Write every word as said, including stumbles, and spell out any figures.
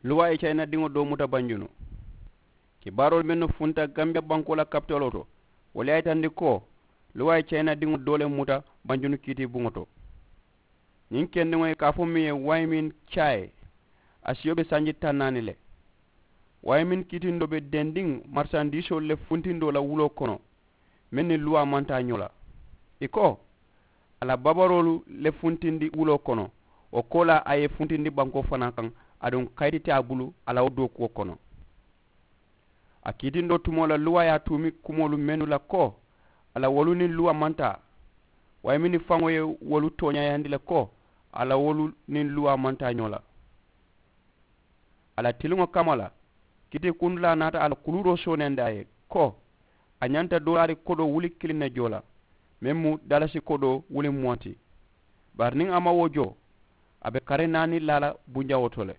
Luwaa ye cayinadiŋo doo muta banjunu. Kibaaroolu mennu funta gambiya bankoo la kapitoloo to, wolu ye a yitandi ko luwaa ye cayinadiŋo doo le muta banjunu kiitii buŋo to. Ñiŋ kendiŋo ye ka a fo meŋ ye waayimiŋ caayi, a siyo be sanji taŋ naani le. Waayimiŋ kiitindoo be dendiŋ marisandiisoolu le funtindoo la wuloo kono, meŋ niŋ luwaa maŋ taa ñoo la. Ì ko a la babaroolu le funtindi wuloo kono, wo koolaa a ye funtindi bankoo fanaa kaŋ, aduŋ kayiti te a bulu a la wo dookuwo kono. A kiitindoo tumoo la luwaa ye a tuumi kumoolu mennu la ko a la wolu niŋ luwaa maŋ taa, waayimiŋ faŋo ye wolu tooñaayandi le ko a la wolu niŋ luwaa maŋ taa ñoo la. A la tiliŋo kamma la, kitii kundulaa naata a la kuluuroo sooneyaandi a ye ko a ñanta doolaari kodoo wuli kiliŋ ne joo la, meŋ mu dalasi kodoo wuli muwaŋ ti. Bari niŋ a maŋ wo joo, a be kari naani laa la bunjawoo to le.